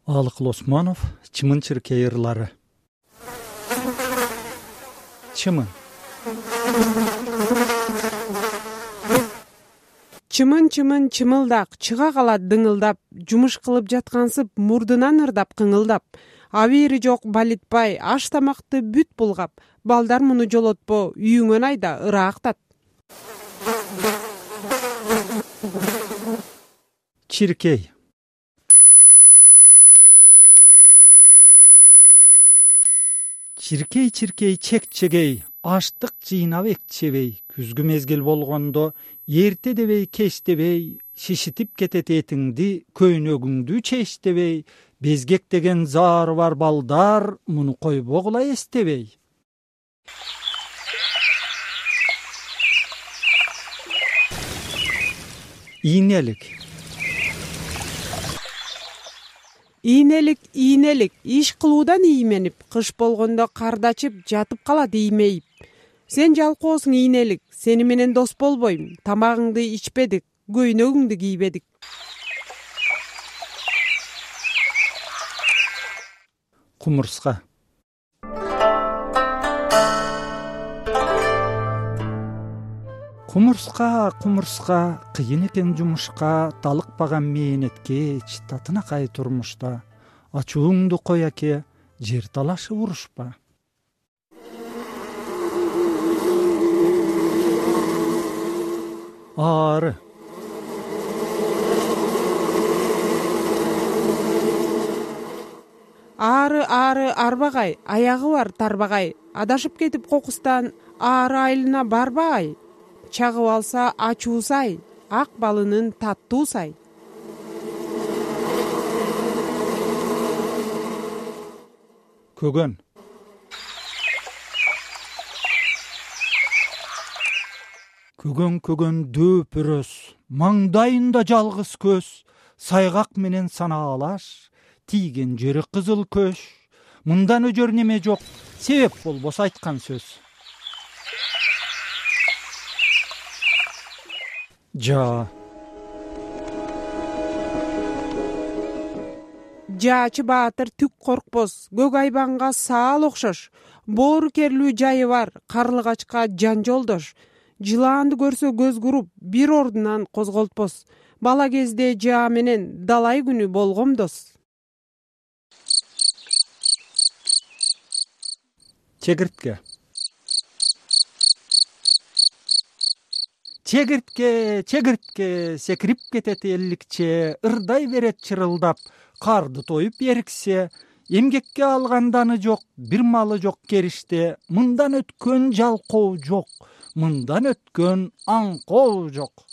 Алыкыл Осмонов, Чымын-Чыркей ырлары. Чымын. Чымын чымылдак чыга калат дыңылдап, жумуш кылып жаткансып мурдунан ырдап кыңылдап. Абийири жок балитпай, аш тамакты бүт булгап, балдар муну жолотпо, үйүңөн айда ыраактат. Чиркей. Чиркей чек-чегей, аштык жыйнап экчебей, күзгү мезгил болгондо эрте дебей, кеч дебей, шишитип кетет этиңди, көйнөгүңдү чечтебей, безгек деген заары бар балдар, муну койбогула эстебей. Ийнелик. Ийнелик, иш кылуудан ийменип, кыш болгондо кардачып, жатып калат иймейип. Сен жалкоосуң ийнелик, сени менен дос болбойм, тамагыңды ичпедик, көйнөгүңдү кийбедик. Кумурска. Кумурска, кыйын экен жумушка, талыкпаган мээнетке, татынакай турмушта. Ачууңду кой аке, жер талашып урушпа. Ары. Ары арбагай, аягы бар тарбагай, адашып кетип кокустан ары айылына барбагай. Чагып алса ачуусай, ак балынын таттуусай. Көгөн. Көгөн дөпөрөс, маңдайында жалгыз көз, сайгак менен санаалаш, тийген жери кызыл көш. Мындан өжөр неме жок, себеп болбосо айткан сөз. Жаачы баатыр түк коркпос, көк айбанга саал окшош. Боору керлүү жайы бар, карлыгачка жан жолдош. Жылаанды көрсө көз куруп, бир ордунан козголтпос. Бала кезде жаа менен далай күнү болгом дос. Чегиртке. Чегиртке, секирип кетет элликче, ырдай берет чырылдап, карды тоюп эриксе, эмгекке алганданы жок, бир малы жок кериште, мындан өткөн жалкоо жок, мындан өткөн аңкоо жок.